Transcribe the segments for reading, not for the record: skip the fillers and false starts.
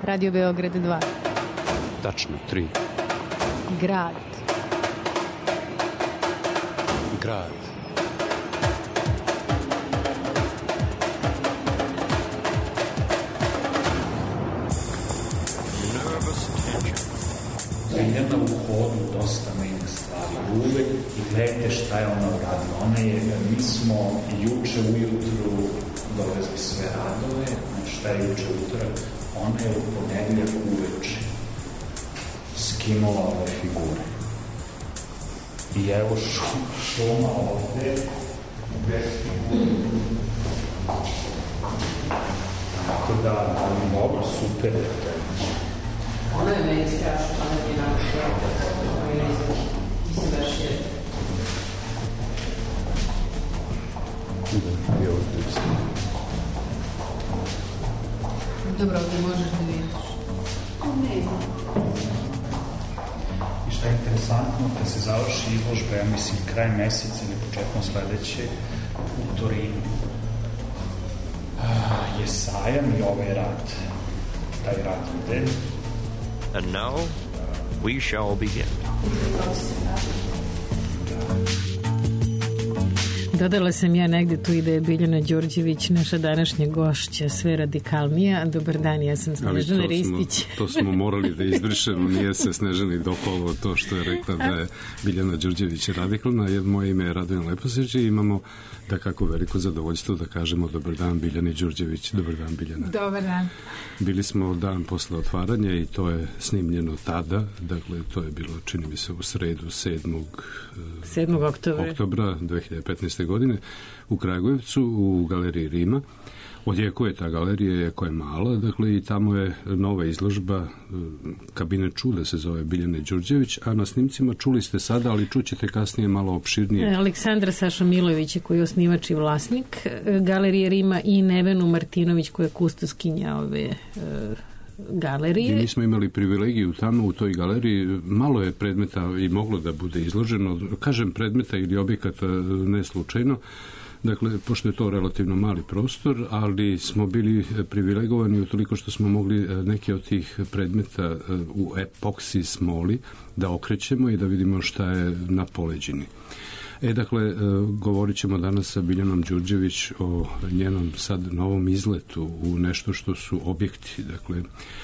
Radio Beograd 2. Tačno, 3. Grad. Grad. Biljana u hodu dosta meni stvari. Uvek i gledajte šta je ona uradila. Mi smo juče ujutru dovezli sve radove, šta je juče utorak, ona je u ponedeljak uveče skinula ove figure. I evo šuma ovde, bez figure. Tako da, dobro, super je to. Ona je meni strašno, ona je naša, ona je mislim baš je. Da, je ovdje. Dobro, ovdje možeš da vidiš. Ne znam. I šta je interesantno, kad se završi izložba, ja mislim, kraj meseca ili početkom sledeće, u Torinu je sajam i ovaj rad, taj rad ide. And now, we shall begin. Dodala sam ja negde tu i da je Biljana Đorđević naša današnja gošća, sve radikalnija. Dobar dan, ja sam Snežana Ristić. To smo morali da izbrišemo, nije se Snežani dopalo to što je rekla da je Biljana Đorđević radikalna. Moje ime je Radovan Leposić i imamo da kako veliko zadovoljstvo da kažemo dobar dan Biljani Đorđević. Dobar dan, Biljana. Dobar dan. Bili smo dan posle otvaranja i to je snimljeno tada, dakle to je bilo, čini mi se, u sredu 7. oktobra 2015. godine u Kragujevcu u galeriji Rima. Odjekuje ta galerija koja je mala, dakle i tamo je nova izložba Kabinet čuda se zove Biljane Đorđević, a na snimcima čuli ste sada, ali čućete kasnije malo opširnije. Aleksandra Saša Milović koji je osnivač i vlasnik galerije Rima i Nevenu Martinović koja je kustoskinja ove galerije. I mi smo imali privilegiju tamo u toj galeriji, malo je predmeta i moglo da bude izloženo, kažem predmeta ili objekata ne slučajno, dakle, pošto je to relativno mali prostor, ali smo bili privilegovani utoliko što smo mogli neke od tih predmeta u epoksi smoli da okrećemo i da vidimo šta je na poleđini. Dakle, govorit ćemo danas sa Biljanom Đorđević o njenom sad novom izletu u nešto što su objekti, dakle...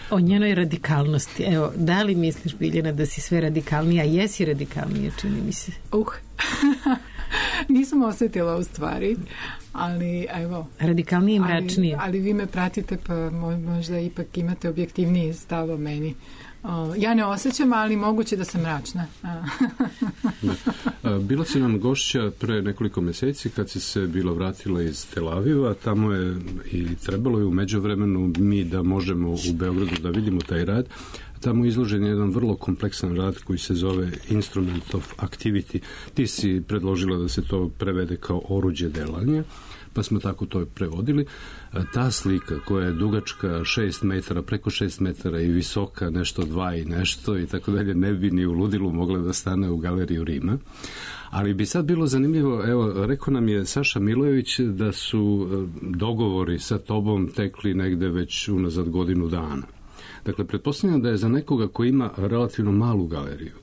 O njenoj radikalnosti. Evo, da li misliš, Biljana, da si sve radikalnija? Jesi radikalnija, čini mi se. Nisam osetila u stvari, ali evo... Radikalnije i mračnije. Ali vi me pratite, pa možda ipak imate objektivniji stav o meni. Ja ne osjećam, ali moguće da sam mračna. Bila si nam gošća pre nekoliko meseci kad si se bila vratila iz Tel Aviva, tamo je i trebalo je u međuvremenu mi da možemo u Beogradu da vidimo taj rad. Tamo je izložen jedan vrlo kompleksan rad koji se zove Instrument of Activity. Ti si predložila da se to prevede kao oruđe delanja, pa smo tako to prevodili. Ta slika koja je dugačka 6 metara, preko 6 metara i visoka nešto 2 i nešto i tako dalje, ne bi ni u ludilu mogla da stane u galeriju Rima. Ali bi sad bilo zanimljivo, evo, rekao nam je Saša Milojević da su dogovori sa tobom tekli negde već unazad godinu dana. Dakle, pretpostavljam da je za nekoga koji ima relativno malu galeriju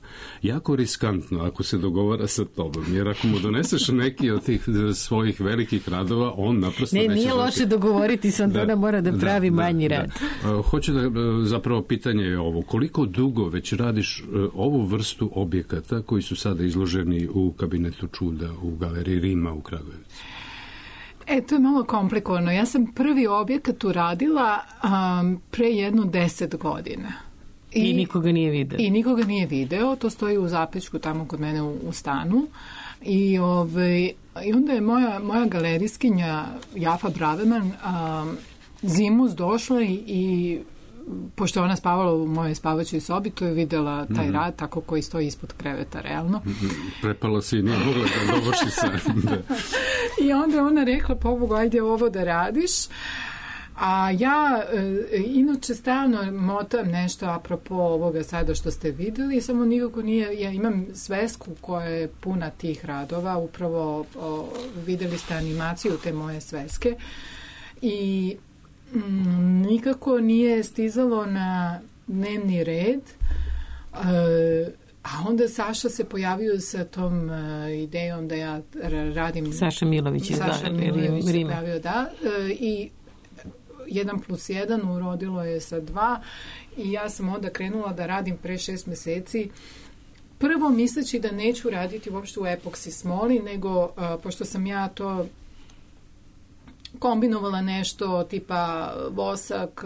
jako riskantno ako se dogovara sa tobom, jer ako mu doneseš neki od tih svojih velikih radova, on naprosto neće... Nije loše dogovoriti se, onda ona mora da pravi manji rad. Hoću da, zapravo pitanje je ovo, koliko dugo već radiš ovu vrstu objekata koji su sada izloženi u Kabinetu čuda u galeriji Rima u Kragujevcu? To je malo komplikovano. Ja sam prvi objekat uradila pre 10 godina. I nikoga nije video. I nikoga nije video. To stoji u zapečku tamo kod mene u stanu. I onda je moja galerijskinja Jafa Braveman zimus došla i pošto ona spavala u mojoj spavaćoj sobi, to je videla taj rad tako koji stoji ispod kreveta, realno. Prepala si i nije mogla da dovrši sam. I onda je ona rekla, pobogu, ajde ovo da radiš. A ja inače stalno motam nešto apropo ovoga sada što ste videli, samo nikako nije, ja imam svesku koja je puna tih radova, upravo videli ste animaciju te moje sveske i nikako nije stizalo na dnevni red, a onda Saša se pojavio sa tom idejom da ja radim... Saša Milović iz Rima. Se pojavio, da, i 1+1 urodilo je sa 2 i ja sam onda krenula da radim pre 6 meseci. Prvo misleći da neću raditi uopšte u epoksi smoli, nego pošto sam ja to kombinovala nešto tipa vosak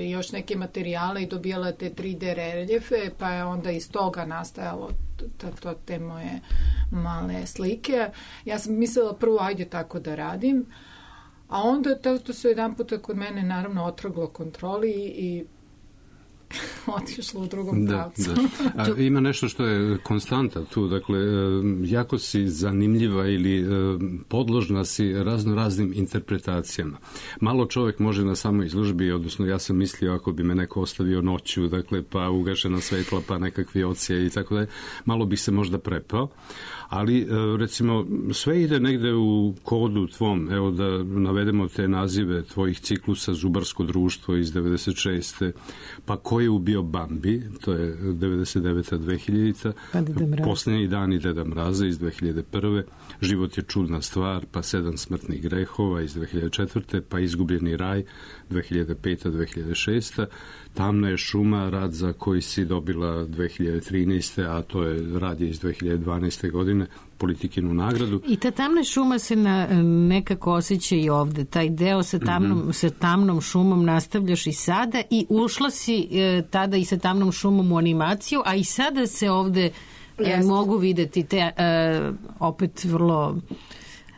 i još neke materijale i dobijala te 3D reljefe, pa je onda iz toga nastajalo te moje male slike. Ja sam mislila prvo ajde tako da radim, a onda to se jedan puta kod mene naravno otrglo kontroli i otišlo u drugom pravcu. Da. Ima nešto što je konstanta tu, dakle, jako si zanimljiva ili podložna si raznim interpretacijama. Malo čovjek može na samoj izložbi, odnosno ja sam mislio ako bi me neko ostavio noću, dakle, pa ugašena svetla, pa nekakvi ocije i tako dalje, malo bi se možda prepao, ali recimo sve ide negde u kodu tvom, evo da navedemo te nazive tvojih ciklusa Zubarsko društvo iz 96. pa Ko je ubio Bambi, to je 99. 2000. Pa Posljednji dani Deda Mraza iz 2001. Život je čudna stvar, pa 7 smrtnih grehova iz 2004. pa Izgubljeni raj 2005. 2006. Tamna je šuma, rad za koji si dobila 2013. a to je rad iz 2012. godine, Politikinu nagradu. I ta tamna šuma se nekako osjeća i ovde. Taj deo sa tamnom šumom nastavljaš i sada i ušla si tada i sa tamnom šumom u animaciju, a i sada se ovde mogu videti te opet vrlo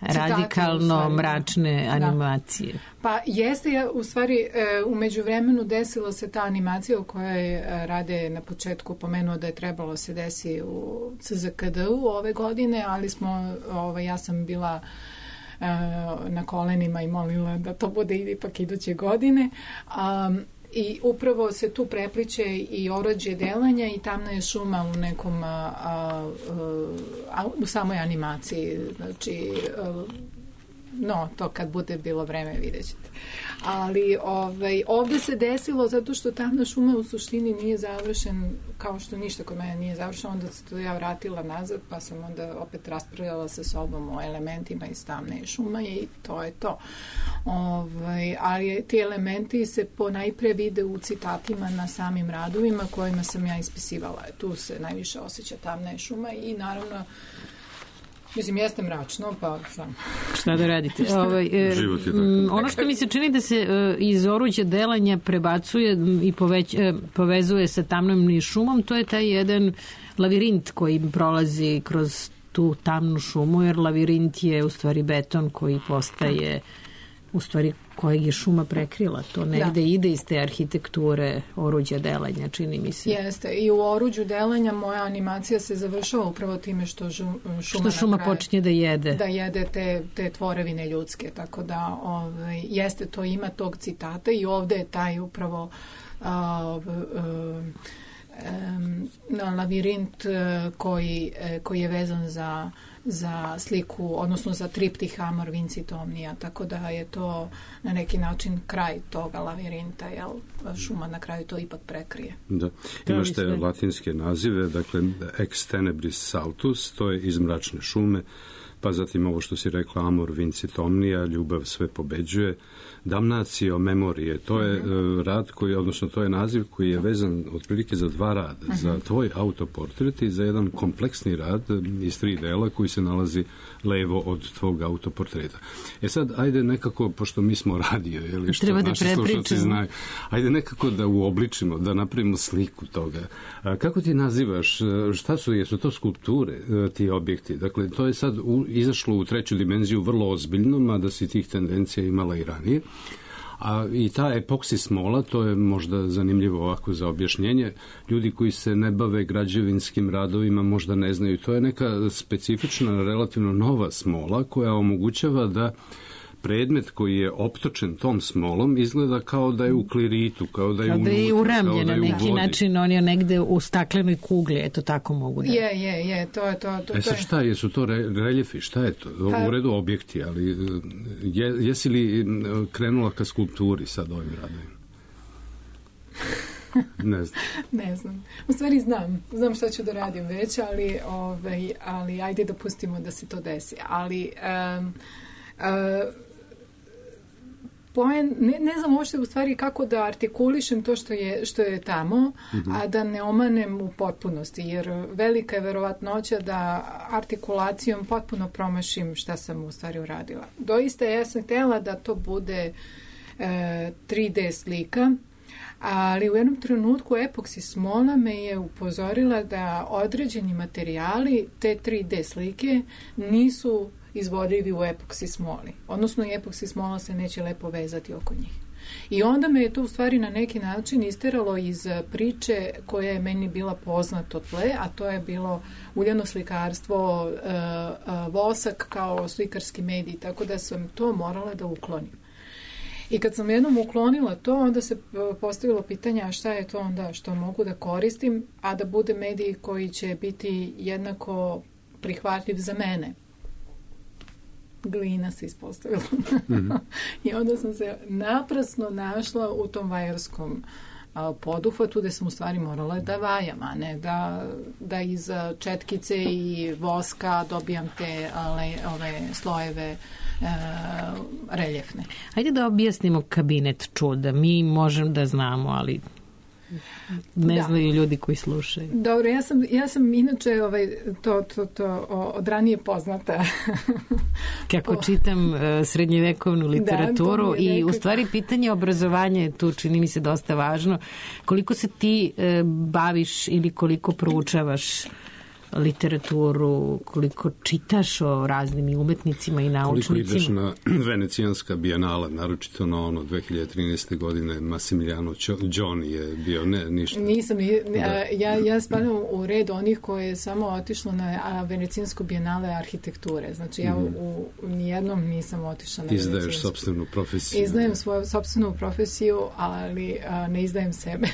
radikalno mračne animacije. Pa jeste, u stvari u međuvremenu desila se ta animacija o kojoj Rade na početku pomenuo da je trebalo se desi u CZKD-u ove godine, ali ja sam bila na kolenima i molila da to bude ipak iduće godine. I upravo se tu prepliče i Orođe delanja i Tamna je šuma u nekom u samoj animaciji, znači to kad bude bilo vreme vidjet ćete. Ali ovde se desilo zato što Tamna šuma u suštini nije završen, kao što ništa kod mene nije završeno, onda se to ja vratila nazad, pa sam onda opet raspravljala sa sobom o elementima iz Tamne šuma i to je to. Ali ti elementi se ponajpre vide u citatima na samim radovima kojima sam ja ispisivala. Tu se najviše osjeća Tamna šuma i naravno mislim, jeste mračno, pa sam. Šta da radite? Život je tako. Ono što mi se čini da se iz Oruđa delanja prebacuje i povezuje sa Tamnom šumom, to je taj jedan lavirint koji prolazi kroz tu tamnu šumu, jer lavirint je u stvari beton koji postaje u stvari kojeg je šuma prekrila. To negde ide iz te arhitekture Oruđa delanja, čini mi se. Jeste. I u Oruđu delanja moja animacija se završava upravo time što šuma počinje da jede. Da jede te tvorevine ljudske. Tako da jeste, to ima tog citata i ovde je taj upravo lavirint koji je vezan za sliku, odnosno za triptih Amor Vincit Omnia, tako da je to na neki način kraj toga lavirinta, jel? Šuma na kraju to ipak prekrije. Da. Imaš te latinske nazive, dakle ex tenebris saltus, to je iz mračne šume, pa zatim ovo što si rekla Amor Vincit Omnia, ljubav sve pobeđuje, Damnatio memorije, to je rad koji, odnosno to je naziv koji je vezan otprilike za 2 rada, za tvoj autoportret i za jedan kompleksni rad iz 3 dela koji se nalazi levo od tvog autoportreta. Sad, ajde nekako, pošto mi smo radio, ili što naši slušalci znaju, ajde nekako da uobličimo, da napravimo sliku toga. Kako ti nazivaš, jesu to skulpture, ti objekti? Dakle, to je sad izašlo u 3. dimenziju vrlo ozbiljno, mada si tih tendencija imala i ranije. I ta epoksi smola, to je možda zanimljivo ovako za objašnjenje, ljudi koji se ne bave građevinskim radovima možda ne znaju, to je neka specifična, relativno nova smola koja omogućava da predmet koji je optočen tom smolom izgleda kao da je u kliritu, kao da je unutra. Kao da je uramljen na neki način, on je negde u staklenoj kugli, eto tako mogu da... Je, to je to. Sad šta je, su to reljefi, šta je to? U redu objekti, ali jesi li krenula ka skulpturi sad ovim radovima? Ne znam. U stvari znam šta ću da radim već, ali ajde da pustimo da se to desi. Ali ne znam uopšte u stvari kako da artikulišem to što je tamo, a da ne omanem u potpunosti, jer velika je verovatnoća da artikulacijom potpuno promašim šta sam u stvari uradila. Doista ja sam htjela da to bude 3D slika, ali u jednom trenutku epoksi smola me je upozorila da određeni materijali te 3D slike nisu izvodljivi u epoksi smoli. Odnosno, epoksi smola se neće lepo vezati oko njih. I onda me je to u stvari na neki način isteralo iz priče koja je meni bila poznata od tle, a to je bilo uljano slikarstvo, vosak kao slikarski medij, tako da sam to morala da uklonim. I kad sam jednom uklonila to, onda se postavilo pitanje, a šta je to onda što mogu da koristim, a da bude medij koji će biti jednako prihvatljiv za mene. Glina se ispostavila. I onda sam se naprasno našla u tom vajarskom poduhvatu gde sam u stvari morala da vajam, a ne da iz četkice i voska dobijam te ove slojeve reljefne. Ajde da objasnimo kabinet čuda. Mi možemo da znamo, ali ne znaju ljudi koji slušaju. Dobro, ja sam inače to od ranije poznata. Kako čitam srednjevekovnu literaturu i u stvari pitanje obrazovanja je tu, čini mi se, dosta važno. Koliko se ti baviš ili koliko proučavaš literaturu, koliko čitaš o raznim umetnicima i naučnicima? Koliko ideš na Venecijanska bijenala, naročito na 2013. godine Massimiliano Gioni je bio, ništa. Nisam, ja spadam u red onih koje je samo otišlo na Venecijansko bijenale arhitekture. Znači ja u nijednom nisam otišla na Venecijansku. Izdaješ sopstvenu profesiju. Izdajem svoju sopstvenu profesiju, ali ne izdajem sebe.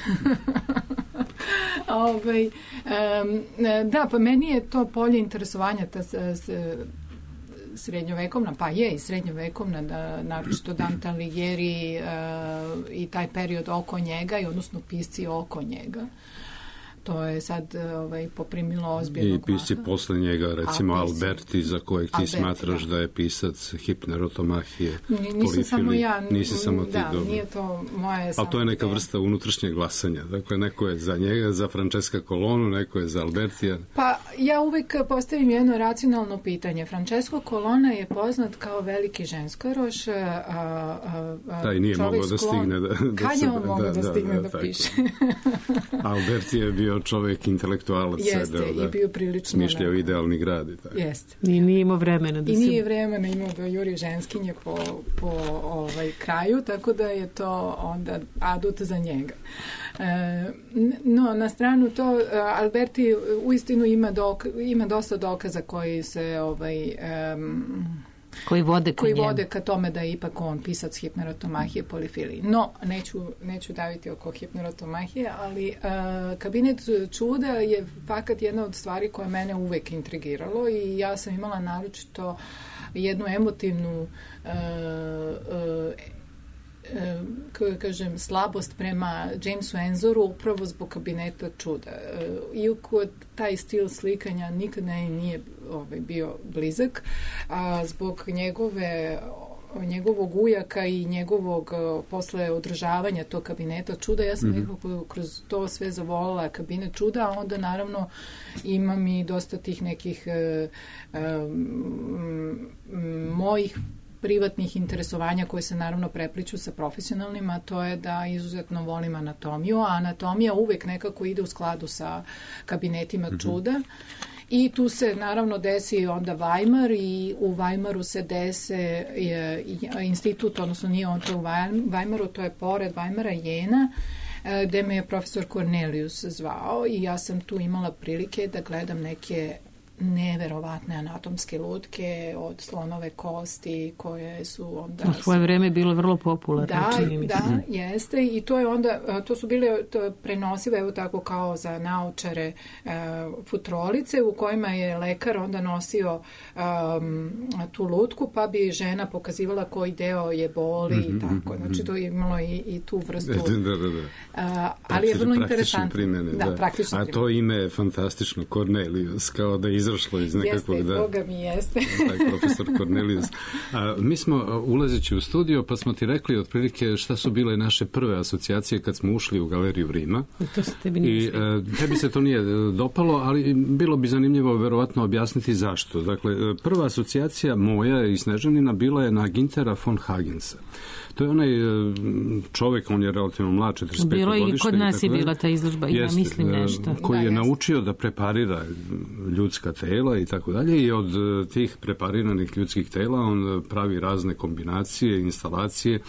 Da, pa meni je to polje interesovanja, ta srednjovekovna, pa je i srednjovekovna, naročito Dante Alighieri i taj period oko njega, i odnosno pisci oko njega. To je sad poprimilo ozbiljnog maha. I pisci posle njega, recimo Alberti, za kojeg ti smatraš da je pisac hipnerotomahije, polifili. Nisi samo ti. Da, nije to moje... Ali to je neka vrsta unutrašnjeg glasanja. Dakle, neko je za njega, za Francesca Colonu, neko je za Albertija. Pa, ja uvek postavim jedno racionalno pitanje. Francesco Colonna je poznat kao veliki ženskaroš. Taj nije mogao da stigne da... Kad je on mogao da stigne da piše? Alberti je bio čovjek intelektualac. Jeste, i bio prilično... Smišljao idealni grad. Jeste. I nije imao vremena da se... I nije vremena imao da juri ženskinje po kraju, tako da je to onda adut za njega. No, na stranu to, Alberti uistinu ima dosta dokaza koji se koji vode ka tome da je ipak on pisac hipnerotomahije, polifiliji. No, neću daviti oko hipnerotomahije, ali kabinet čuda je fakat jedna od stvari koja mene uvek intrigiralo i ja sam imala naročito jednu emotivnu kako kažem, slabost prema Jamesu Enzoru upravo zbog kabineta čuda. Iako taj stil slikanja nikad nije bio blizak, a zbog njegovog ujaka i njegovog posle održavanja tog kabineta čuda, ja sam nekako kroz to sve zavolila kabinet čuda, a onda naravno imam i dosta tih nekih mojih privatnih interesovanja koje se naravno prepliču sa profesionalnima, to je da izuzetno volim anatomiju, a anatomija uvek nekako ide u skladu sa kabinetima čuda. I tu se naravno desi onda Weimar i u Weimaru se dese institut, odnosno nije on to u Weimaru, to je pored Weimara Jena, gde me je profesor Cornelius zvao i ja sam tu imala prilike da gledam neke neverovatne anatomske lutke od slonove kosti koje su onda... U svoje vreme bilo vrlo popularno, čini mi se. Da, jeste, i to je onda, to su bile prenosive, evo tako kao za naočare, futrolice u kojima je lekar onda nosio tu lutku, pa bi žena pokazivala koji deo je boli i tako. Znači to je imalo i tu vrstu. Ali je vrlo interesantno. Primjene, da. A to ime je fantastično, Cornelius, kao da je izašlo iz nekakvog... Jeste, Boga mi jeste. Tak, profesor Cornelius. Mi smo ulazeći u studio, pa smo ti rekli otprilike šta su bile naše prve asocijacije kad smo ušli u galeriju Rima. To se tebi nije I tebi se to nije dopalo, ali bilo bi zanimljivo verovatno objasniti zašto. Dakle, prva asocijacija moja i Snežanina bila je na Gintera von Hagensa. To je onaj čovjek, on je relativno mlad, 45 godište. Bilo i kod nas je bila ta izložba, ja mislim nešto. Koji je naučio da preparira ljudska tela i tako dalje, i od tih prepariranih ljudskih tela on pravi razne kombinacije, instalacije,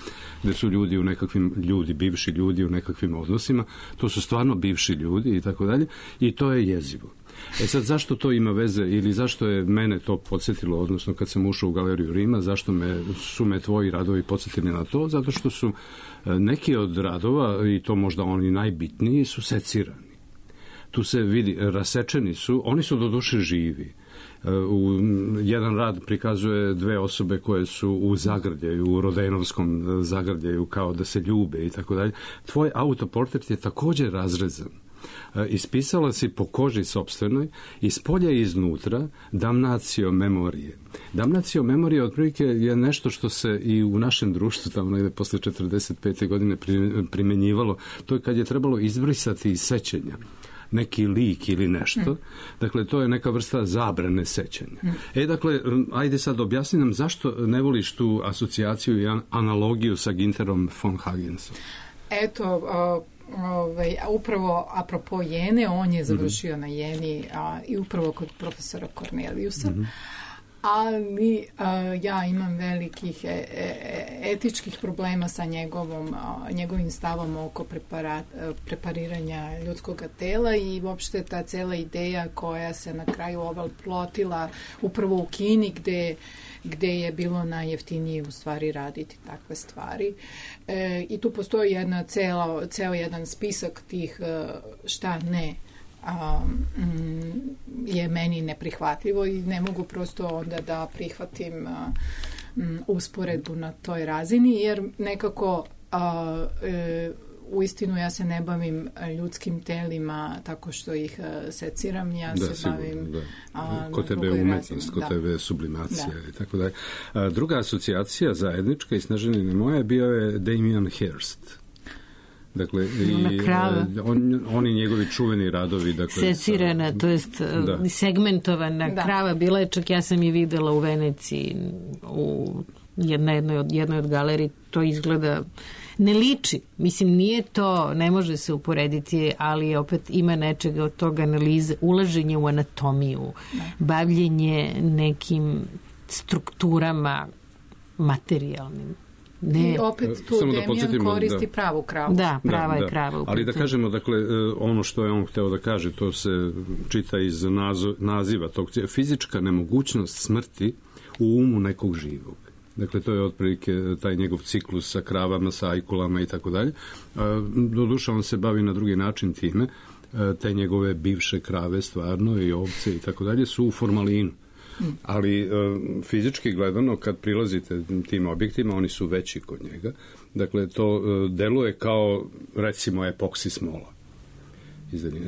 gde su ljudi u nekakvim, bivši ljudi u nekakvim odnosima. To su stvarno bivši ljudi i tako dalje, i to je jezivo. Sad, zašto to ima veze ili zašto je mene to podsjetilo, odnosno kad sam ušao u galeriju Rima, zašto su me tvoji radovi podsjetili na to? Zato što su neki od radova, i to možda oni najbitniji, su secirani. Tu se vidi, rasečeni su, oni su doduše živi. Jedan rad prikazuje dve osobe koje su u zagrljaju, u Rodenovskom zagrljaju, kao da se ljube i tako dalje. Tvoj autoportret je također razrezan. Ispisala si po koži sopstvenoj, iz polja i iznutra, damnatio memorije. Damnatio memorije otprilike je nešto što se i u našem društvu tamo negde posle 45. godine primenjivalo. To je kad je trebalo izbrisati iz sećanja neki lik ili nešto. Dakle, to je neka vrsta zabrane sećanja. Dakle, ajde sad objasni nam zašto ne voliš tu asocijaciju i analogiju sa Ginterom von Hagensom. Eto, upravo apropo Jene, on je završio na Jeni i upravo kod profesora Corneliusa, ali ja imam velikih etičkih problema sa njegovim stavom oko prepariranja ljudskog tela i uopšte ta cela ideja koja se na kraju plotila upravo u Kini gde je bilo najjeftinije u stvari raditi takve stvari. I tu postoji ceo jedan spisak tih šta ne je meni neprihvatljivo i ne mogu prosto onda da prihvatim usporedbu na toj razini, jer nekako uistinu ja se ne bavim ljudskim telima tako što ih seciram, ja se bavim... Kod tebe je umetnost, kod tebe je sublimacija i tako dalje. Druga asocijacija zajednička i Snežanine moja bio je Damien Hirst. Dakle, oni njegovi čuveni radovi, dakle, secirana, to jest segmentovana krava, bila je, čak ja sam je videla u Veneciji u jednoj od galeriji, to izgleda, ne liči, mislim nije to, ne može se uporediti, ali opet ima nečega od toga, analize, ulaženje u anatomiju, bavljenje nekim strukturama materijalnim. I opet tu Damien koristi pravu kravu. Da, prava je krava. Ali da kažemo, dakle, ono što je on hteo da kaže, to se čita iz naziva tog, fizička nemogućnost smrti u umu nekog živog. Dakle, to je otprilike taj njegov ciklus sa kravama, sa ajkulama i tako dalje. Doduše, on se bavi na drugi način time. Te njegove bivše krave, stvarno, i ovce i tako dalje, su u formalinu. Ali fizički gledano, kad prilazite tim objektima, oni su veći kod njega. Dakle, to deluje kao, recimo, epoksi smola.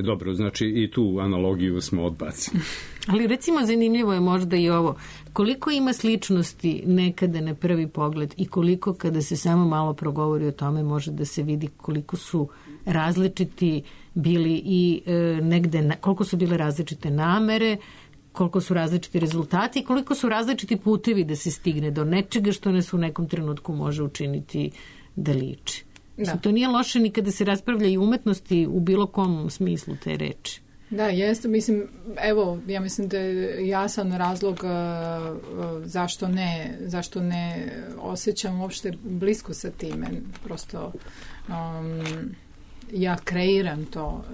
Dobro, znači i tu analogiju smo odbacili. Ali recimo zanimljivo je možda i ovo. Koliko ima sličnosti nekada na prvi pogled i koliko kada se samo malo progovori o tome može da se vidi koliko su različiti bili i negde, koliko su bile različite namere, koliko su različiti rezultati i koliko su različiti putevi da se stigne do nečega što nas u nekom trenutku može učiniti da liči. Mislim, to nije loše ni kada se raspravlja i umetnosti u bilo kom smislu te reči. Da, jeste. Mislim, evo, ja mislim da je jasan razlog zašto ne osjećam uopšte blisko sa time. Prosto ja kreiram to,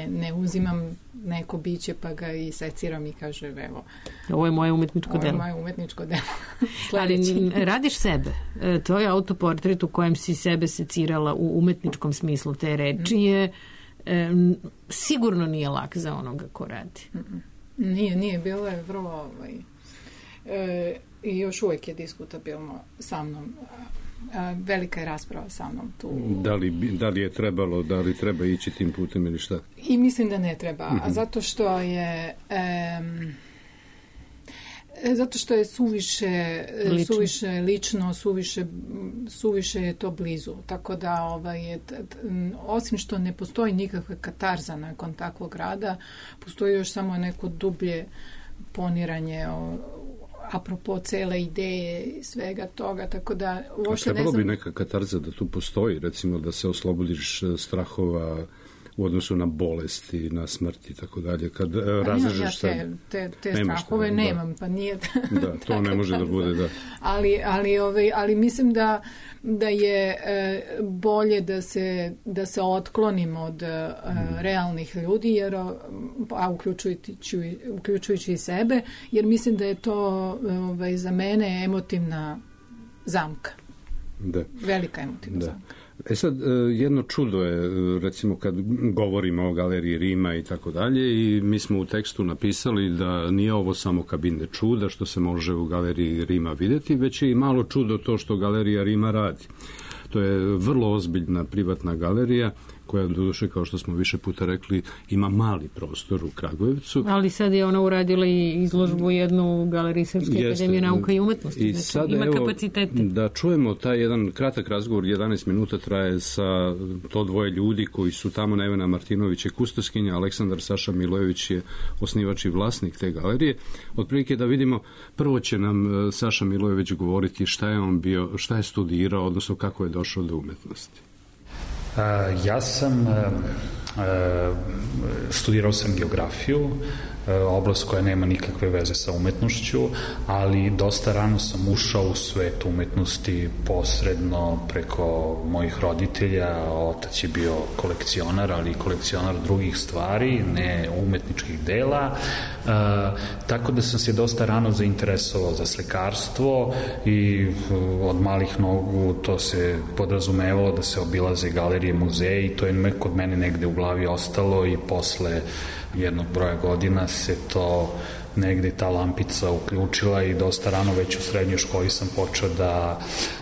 ne uzimam neko biće pa ga i seciram i kaže evo, ovo je moje umetničko delo. Ovo je moje umetničko delo. Ali radiš sebe. Tvoj autoportret u kojem si sebe secirala u umetničkom smislu te reči je sigurno nije lak za onoga ko radi. Nije, bilo je vrlo i još uvijek je diskutabilno sa mnom. Velika je rasprava sa mnom tu. Da li je trebalo, da li treba ići tim putem ili šta? I mislim da ne treba, a zato što je suviše lično, suviše je to blizu. Tako da osim što ne postoji nikakva katarza nakon takvog rada, postoji još samo neko dublje poniranje apropo cele ideje i svega toga, tako da uopšte trebalo bi neka katarza da tu postoji, recimo da se oslobodiš strahova u odnosu na bolesti, na smrti i tako dalje. Kad razrežeš te strahove nemam, pa nije... Da, to ne može da bude, da. Ali mislim da je bolje da se otklonimo od realnih ljudi, jer, uključujući i sebe, jer mislim da je to za mene emotivna zamka. Da. Velika emotivna zamka. E sad, jedno čudo je, recimo kad govorimo o galeriji Rima i tako dalje, i mi smo u tekstu napisali da nije ovo samo kabinet čuda što se može u galeriji Rima vidjeti, već je i malo čudo to što galerija Rima radi. To je vrlo ozbiljna privatna galerija koja, doduše, kao što smo više puta rekli, ima mali prostor u Kragujevcu. Ali sad je ona uradila i izložbu jednu u Galeriji Srpske akademije nauka i umetnosti. I sad, ima kapacitete. Da čujemo taj jedan kratak razgovor, 11 minuta traje sa to dvoje ljudi koji su tamo. Nevena Martinović je kustoskinja, Aleksandar Saša Milojević je osnivač i vlasnik te galerije. Otprilike da vidimo, prvo će nam Saša Milojević govoriti šta je on bio, šta je studirao, odnosno kako je došao do umetnosti. Ja sam studirao sam geografiju, oblast koja nema nikakve veze sa umetnošću, ali dosta rano sam ušao u svet umetnosti posredno preko mojih roditelja. Otac je bio kolekcionar, ali kolekcionar drugih stvari, ne umetničkih dela, tako da sam se dosta rano zainteresovao za slikarstvo i od malih nogu to se podrazumevalo da se obilaze galerije, muzeji, i to je kod mene negde u glavi ostalo, i posle jednog broja godina se to negde ta lampica uključila i dosta rano već u srednjoj školi sam počeo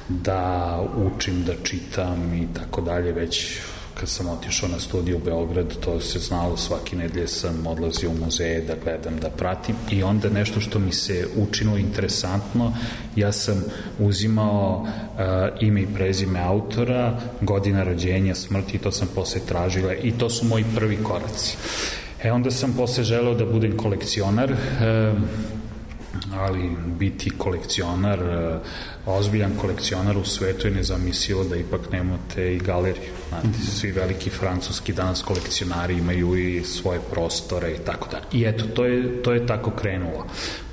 da učim, da čitam i tako dalje. Već kad sam otišao na studiju u Beograd, to se znalo, svake nedelje sam odlazio u muzeje da gledam, da pratim, i onda nešto što mi se učinilo interesantno, ja sam uzimao ime i prezime autora, godina rođenja, smrti, i to sam posle tražila, i to su moji prvi koraci. Onda sam posle želeo da budem kolekcionar, ali biti kolekcionar, ozbiljan kolekcionar u svetu je nezamislivo da ipak nemate i galeriju. Znate, svi veliki francuski danas kolekcionari imaju i svoje prostore i tako da. I eto, to je tako krenulo,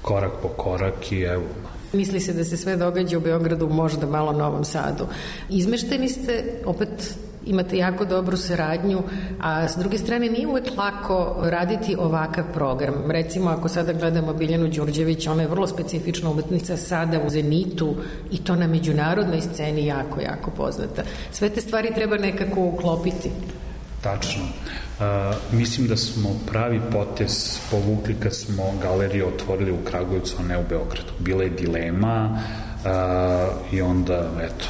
korak po korak, i evo. Misli se da se sve događa u Beogradu, možda malo Novom Sadu. Izmešteni ste, opet imate jako dobru saradnju, a s druge strane nije uvek lako raditi ovakav program. Recimo, ako sada gledamo Biljanu Đurđević, ona je vrlo specifična umetnica, sada u zenitu, i to na međunarodnoj sceni jako, jako poznata. Sve te stvari treba nekako uklopiti. Tačno. Mislim da smo pravi potez povukli kad smo galeriju otvorili u Kragujevcu, a ne u Beogradu. Bila je dilema i onda, eto,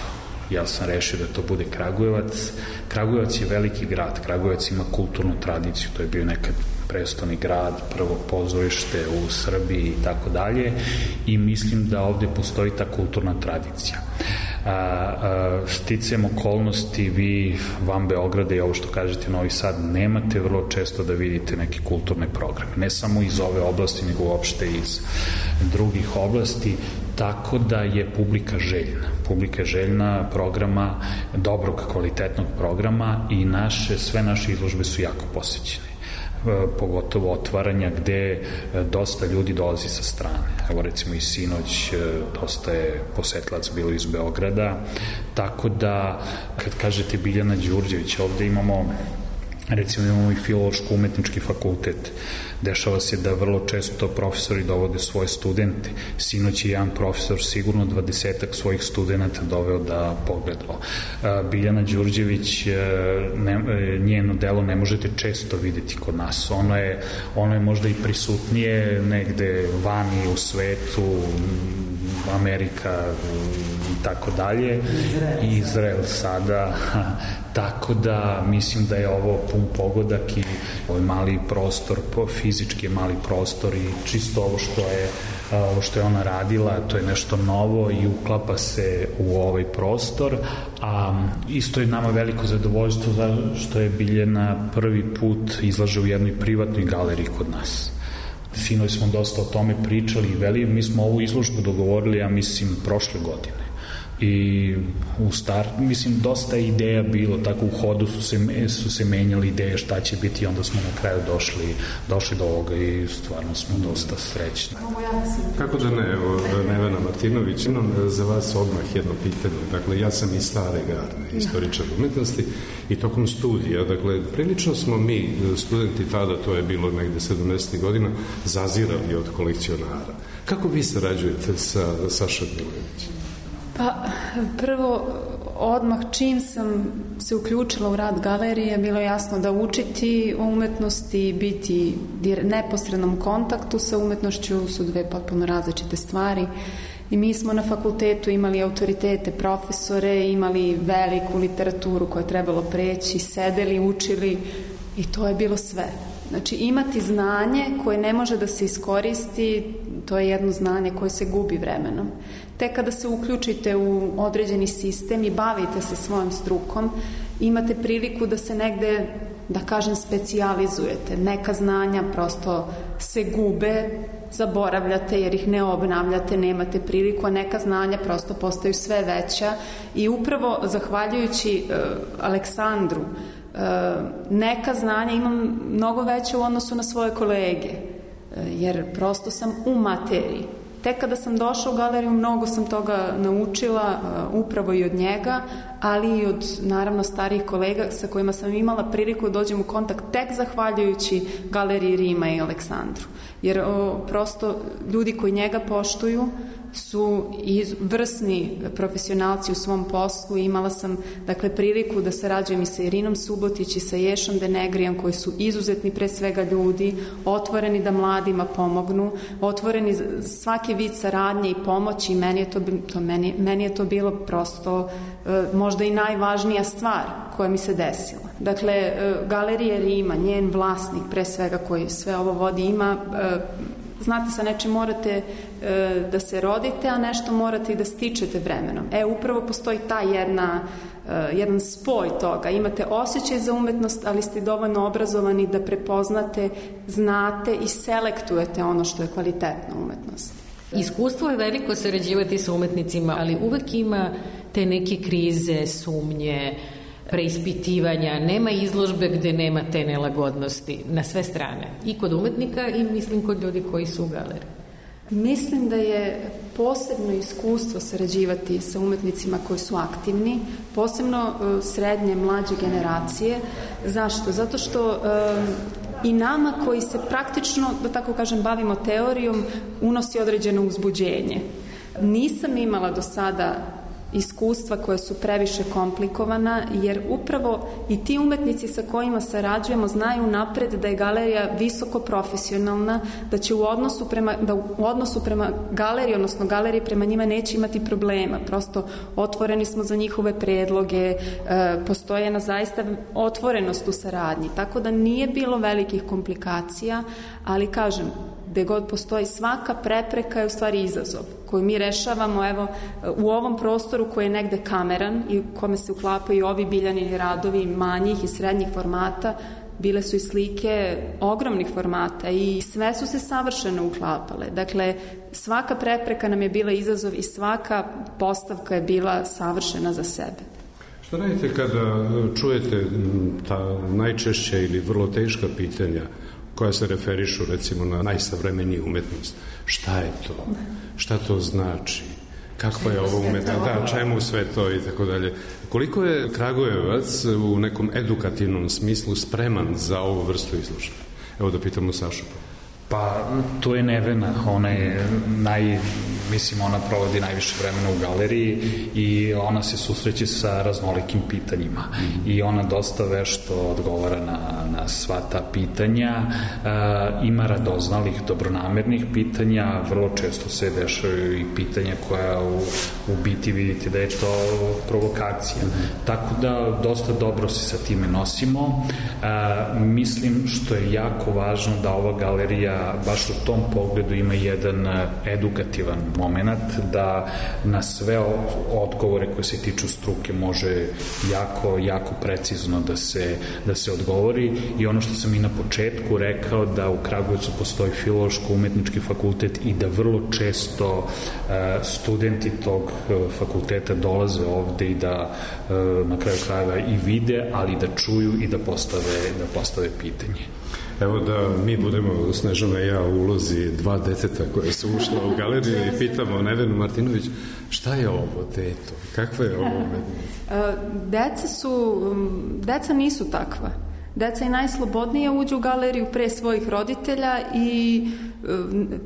ja sam rešio da to bude Kragujevac. Kragujevac je veliki grad, Kragujevac ima kulturnu tradiciju, to je bio nekad prestoni grad, prvo pozorište u Srbiji i tako dalje, i mislim da ovde postoji ta kulturna tradicija. Sticajem okolnosti, vi van Beograda i ovo što kažete Novi Sad nemate vrlo često da vidite neke kulturne programe, ne samo iz ove oblasti, nego uopšte iz drugih oblasti, tako da je publika željna. Republike željna programa, dobrog kvalitetnog programa i sve naše izložbe su jako posećene, pogotovo otvaranja gde dosta ljudi dolazi sa strane. Evo recimo i sinoć dosta je posetilac bilo iz Beograda, tako da kad kažete Biljana Đurđević, ovde imamo i filološko-umetnički fakultet. Dešava se da vrlo često profesori dovode svoje studente. Sinoć je jedan profesor sigurno 20-ak svojih studenta doveo da pogledao. Biljana Đurđević, njeno delo ne možete često videti kod nas. Ono je možda i prisutnije negde vani u svetu, Amerika i tako dalje, Izrael sada, tako da mislim da je ovo pun pogodak i ovaj mali prostor, fizički je mali prostor i čisto ovo što je ona radila, to je nešto novo i uklapa se u ovaj prostor, a isto je nama veliko zadovoljstvo što je Biljana prvi put izlaže u jednoj privatnoj galeriji kod nas. Sinoć smo dosta o tome pričali i mi smo ovu izložbu dogovorili, ja mislim, prošle godine. I mislim, dosta ideja bilo, tako u hodu su se menjali ideje šta će biti i onda smo na kraju došli do ovoga i stvarno smo dosta srećni. Kako da ne, evo, Nevena Martinović, imam za vas odmah jedno pitanje. Dakle, ja sam iz stare garde, istoričar umetnosti i tokom studija, dakle, prilično smo mi, studenti tada, to je bilo negde 70. godina, zazirali od kolekcionara. Kako vi sarađujete sa Sašom Milojevićem? Pa, prvo, odmah čim sam se uključila u rad galerije, bilo je jasno da učiti o umetnosti, biti neposrednom kontaktu sa umetnošću su dve potpuno različite stvari. I mi smo na fakultetu imali autoritete, profesore, imali veliku literaturu koju je trebalo preći, sedeli, učili i to je bilo sve. Znači, imati znanje koje ne može da se iskoristi, to je jedno znanje koje se gubi vremenom. Tek kada se uključite u određeni sistem i bavite se svojom strukom, imate priliku da se negde, da kažem, specijalizujete. Neka znanja prosto se gube, zaboravljate jer ih ne obnavljate, nemate priliku, a neka znanja prosto postaju sve veća i upravo zahvaljujući Aleksandru, neka znanja imam mnogo veće u odnosu na svoje kolege, jer prosto sam u materiji. Tek kada sam došla u galeriju, mnogo sam toga naučila, upravo i od njega, ali i od, naravno, starijih kolega sa kojima sam imala priliku da dođem u kontakt tek zahvaljujući galeriji Rima i Aleksandru. Jer prosto ljudi koji njega poštuju su vrsni profesionalci u svom poslu i imala sam, dakle, priliku da sarađujem i sa Irinom Subotić i sa Ješom Denegrijem, koji su izuzetni pre svega ljudi, otvoreni da mladima pomognu, otvoreni svaki vid saradnje i pomoći i meni je to bilo prosto možda i najvažnija stvar koja mi se desila. Dakle, galerija Rima, njen vlasnik pre svega koji sve ovo vodi, ima, znate, sa nečim morate da se rodite, a nešto morate i da stičete vremenom. Upravo postoji ta jedan spoj toga. Imate osjećaj za umetnost, ali ste dovoljno obrazovani da prepoznate, znate i selektujete ono što je kvalitetna umetnost. Iskustvo je veliko sarađivati sa umetnicima, ali uvek ima te neke krize, sumnje, preispitivanja, nema izložbe gde nema te nelagodnosti na sve strane. I kod umetnika i mislim kod ljudi koji su u galeriji. Mislim da je posebno iskustvo sarađivati sa umetnicima koji su aktivni, posebno srednje, mlađe generacije. Zašto? Zato što i nama koji se praktično, da tako kažem, bavimo teorijom, unosi određeno uzbuđenje. Nisam imala do sada iskustva koja su previše komplikovana, jer upravo i ti umetnici sa kojima sarađujemo znaju napred da je galerija visoko profesionalna, da će u odnosu prema galeriji, odnosno galerije prema njima neće imati problema. Prosto otvoreni smo za njihove predloge, postoje jedna zaista otvorenost u saradnji, tako da nije bilo velikih komplikacija, ali kažem, gde god postoji, svaka prepreka je u stvari izazov koju mi rešavamo, evo, u ovom prostoru koji je negde kameran i u kome se uklapaju ovi Biljanini radovi manjih i srednjih formata, bile su i slike ogromnih formata i sve su se savršeno uklapale. Dakle, svaka prepreka nam je bila izazov i svaka postavka je bila savršena za sebe. Šta radite kada čujete ta najčešća ili vrlo teška pitanja koja se referišu recimo na najsavremeniju umetnost? Šta je to? Šta to znači? Kakva je ovo umetnost? Da, čemu sve to i tako dalje. Koliko je Kragujevac u nekom edukativnom smislu spreman za ovu vrstu izložbe? Evo da pitamo Sašu. Pa, to je Nevena, ona je ona provodi najviše vremena u galeriji i ona se susreće sa raznolikim pitanjima i ona dosta vešto odgovara na sva ta pitanja, ima radoznalih, dobronamernih pitanja, vrlo često se dešavaju i pitanja koja u biti vidite da je to provokacija. Tako da dosta dobro se sa time nosimo. Mislim što je jako važno da ova galerija baš u tom pogledu ima jedan edukativan moment, da na sve odgovore koje se tiču struke može jako precizno da se odgovori. I ono što sam i na početku rekao, da u Kragujevcu postoji filološko-umetnički fakultet i da vrlo često studenti tog fakulteta dolaze ovde i da na kraju krajeva i vide, ali da čuju i da postave pitanje. Evo da mi budemo, Snežana i ja, u ulozi dva deteta koje su ušla u galeriju i pitamo Nevenu Martinović, šta je ovo, teto? Kakva je ovo umetnost? Deca nisu takva. Deca i najslobodnije uđu u galeriju pre svojih roditelja i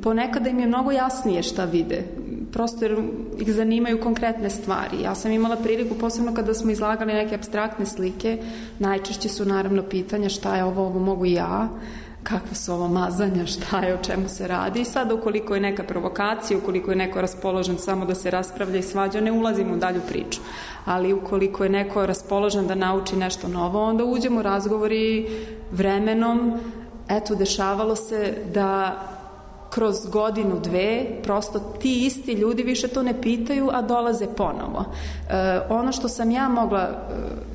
ponekada im je mnogo jasnije šta vide. Prosto jer ih zanimaju konkretne stvari. Ja sam imala priliku, posebno kada smo izlagali neke apstraktne slike, najčešće su naravno pitanja šta je ovo mogu i ja, kakva su ovo mazanja, šta je, o čemu se radi. I sad ukoliko je neka provokacija, ukoliko je neko raspoložen samo da se raspravlja i svađa, ne ulazimo u dalju priču. Ali ukoliko je neko raspoložen da nauči nešto novo, onda uđemo u razgovori vremenom. Eto, dešavalo se da kroz godinu, dve, prosto ti isti ljudi više to ne pitaju, a dolaze ponovo. Ono što sam ja mogla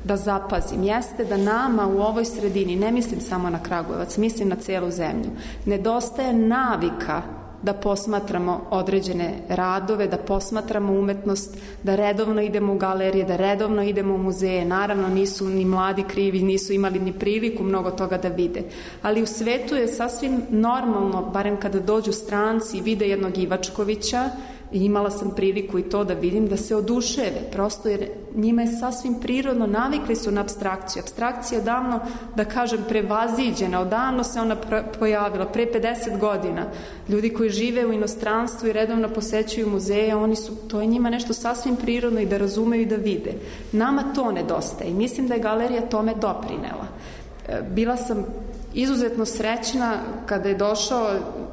da zapazim jeste da nama u ovoj sredini, ne mislim samo na Kragujevac, mislim na celu zemlju, nedostaje navika da posmatramo određene radove, da posmatramo umetnost, da redovno idemo u galerije, da redovno idemo u muzeje. Naravno, nisu ni mladi krivi, nisu imali ni priliku mnogo toga da vide. Ali u svetu je sasvim normalno, barem kada dođu stranci i vide jednog Ivačkovića, i imala sam priliku i to da vidim, da se oduševe, prosto jer njima je sasvim prirodno, navikli su na apstrakciju. Apstrakcija je davno, da kažem, prevaziđena, odavno se ona pojavila, pre 50 godina. Ljudi koji žive u inostranstvu i redovno posećuju muzeje, to je njima nešto sasvim prirodno i da razumeju i da vide. Nama to nedostaje i mislim da je galerija tome doprinela. Bila sam izuzetno srećna kada je došao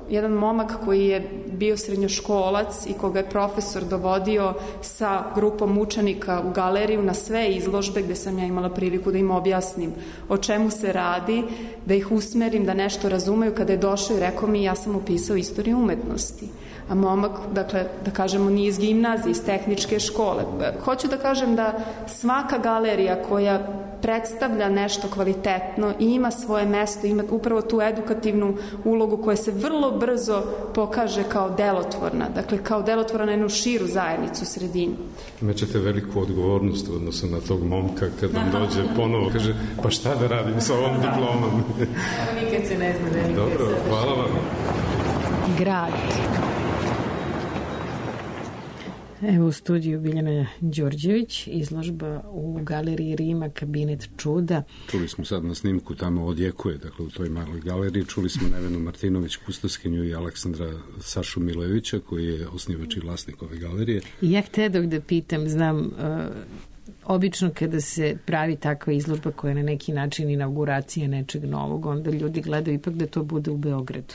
jedan momak koji je bio srednjoškolac i koga je profesor dovodio sa grupom učenika u galeriju na sve izložbe gde sam ja imala priliku da im objasnim o čemu se radi, da ih usmerim, da nešto razumeju. Kada je došao i rekao mi, ja sam upisao istoriju umetnosti. A momak, dakle, da kažemo, nije iz gimnazije, iz tehničke škole. Hoću da kažem da svaka galerija koja predstavlja nešto kvalitetno i ima svoje mesto, ima upravo tu edukativnu ulogu koja se vrlo brzo pokaže kao delotvorna, dakle kao delotvorna na jednu širu zajednicu, sredinu. Imaćete veliku odgovornost u odnosu na tog momka kad vam dođe ponovo, kaže, pa šta da radim sa ovom diplomom? Nikad se ne zna, nikad. Dobro, hvala vam. Grad. Evo u studiju Biljana Đorđević, izložba u galeriji Rima, Kabinet čuda. Čuli smo sad na snimku, tamo odjekuje, dakle u toj maloj galeriji. Čuli smo Nevenu Martinović, kustoskinju, i Aleksandra Sašu Milevića, koji je osnivač i vlasnik ove galerije. I ja htedog da pitam, znam, obično kada se pravi takva izložba koja je na neki način inauguracija nečeg novog, onda ljudi gledaju ipak da to bude u Beogradu.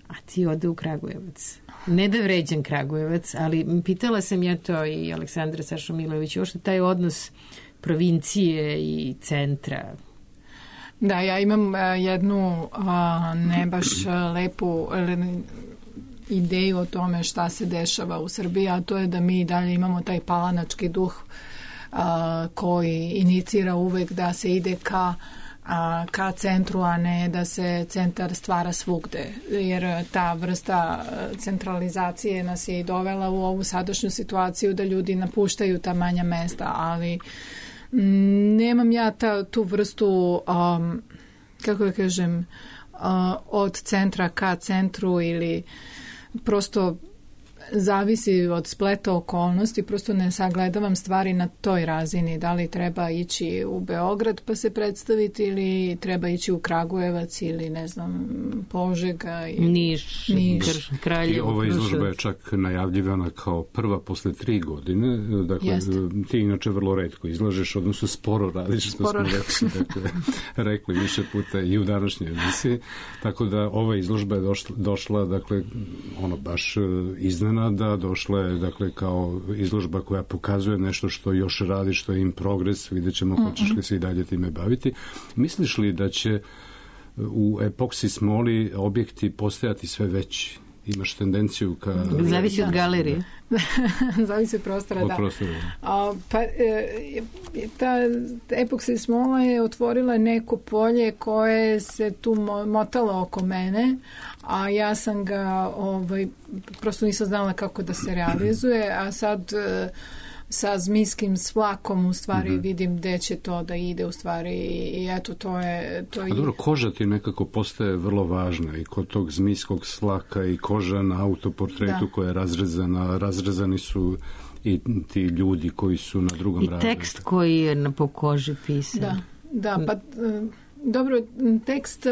A ti ode u Kragujevac. Ne da vređam Kragujevac, ali pitala sam ja to i Aleksandra Sašu Milović, ošto taj odnos provincije i centra. Da, ja imam jednu ne baš lepu ideju o tome šta se dešava u Srbiji, a to je da mi dalje imamo taj palanački duh koji inicira uvek da se ide ka ka centru, a ne da se centar stvara svugde, jer ta vrsta centralizacije nas je i dovela u ovu sadašnju situaciju da ljudi napuštaju ta manja mesta, ali nemam ja tu vrstu, kako da kažem, od centra ka centru, ili prosto zavisi od spleta okolnosti, prosto ne sagledavam stvari na toj razini, da li treba ići u Beograd pa se predstaviti ili treba ići u Kragujevac ili ne znam Požega Niš. Kraljevo. Ova izložba je čak najavljivana kao prva posle 3 godine, dakle ti inače vrlo retko izlažeš, odnosno sporo radiš, što smo rekli više puta i u današnjoj emisiji, tako da ova izložba je došla dakle baš iznenada, došla je dakle kao izložba koja pokazuje nešto što još radi, što je in progres, vidjet ćemo hoćeš li se i dalje time baviti. Misliš li da će u epoksi smoli objekti postajati sve veći? Imaš tendenciju ka... Zavisi od galerije. Zavisi od prostora, da. Ta epoksi smola je otvorila neko polje koje se tu motalo oko mene, a ja sam ga prosto nisam znala kako da se realizuje, a sad sa zmijskim vlakom u stvari vidim gde će to da ide u stvari i eto to je... A dobro, koža ti nekako postaje vrlo važna i kod tog zmijskog slaka i koža na autoportretu koja je razrezani su i ti ljudi koji su na drugom razredu. I tekst koji je po koži pisan. Da, pa dobro, tekst...